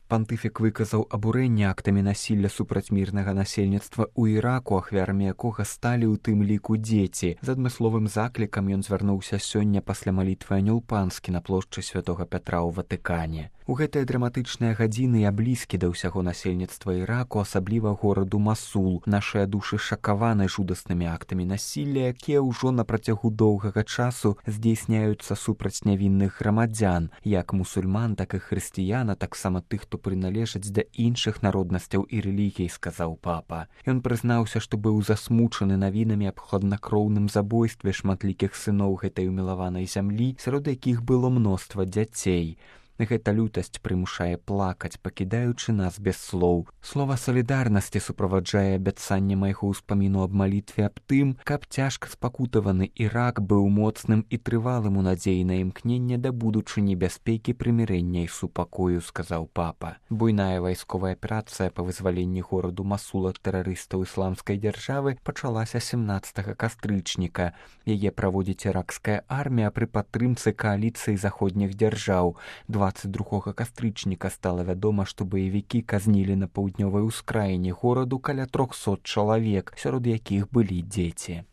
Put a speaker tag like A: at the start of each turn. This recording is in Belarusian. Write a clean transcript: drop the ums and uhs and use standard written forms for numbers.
A: Пантыфік выказаў абурэнне актамі насілля супраць мірнага насельніцтва ў Іраку, ахвярамі якога сталі ў тым ліку дзеці. З адмысловым заклікам ён звярнуўся сёння пасля малітвы Анёл Панскі на плошчы Святога Пятра ў Ватыкане. У гэтыя драматычныя гадзіны я блізкі да ўсяго насельніцтва Іраку, асабліва гораду Масул. Нашыя душы шакаваны жудаснымі актамі насілля, якія ўжо на працягу доўгага часу здзейсняюцца супраць нявінных грамадзян, як мусульман, так і хрысціян, а таксама тых, хто прыналежаць да іншых народнасцяў і рэлігій, сказаў папа. Ён прызнаўся, што быў засмучаны навінамі аб хладнакроўным забойстве шматлікіх сыноў гэтай умілаванай зямлі, сярод якіх было мноства дзяцей. Гэта лютасць прымушае плакаць, пакідаючы нас без слоў. Слова салідарнасці суправаджае абяцанне майго ўспаміну аб малітве аб тым, каб цяжка спакутаваны Ірак быў моцным і трывалым у надзеі на імкненне да будучыні бяспекі, прымірэння і супакою, сказаў папа. Буйная вайсковая аперацыя па вызваленні гораду Масул ад тэрарыстаў ісламскай дзяржавы пачалася 17 кастрычніка. Яе праводзіць іракская армія пры падтрымцы кааліцыі заходніх дзяржаў. 22 кастрычніка стала вядома, што баевікі казнілі на паўднёвай ускраіне гораду каля 300 чалавек, сярод якіх былі дзеці.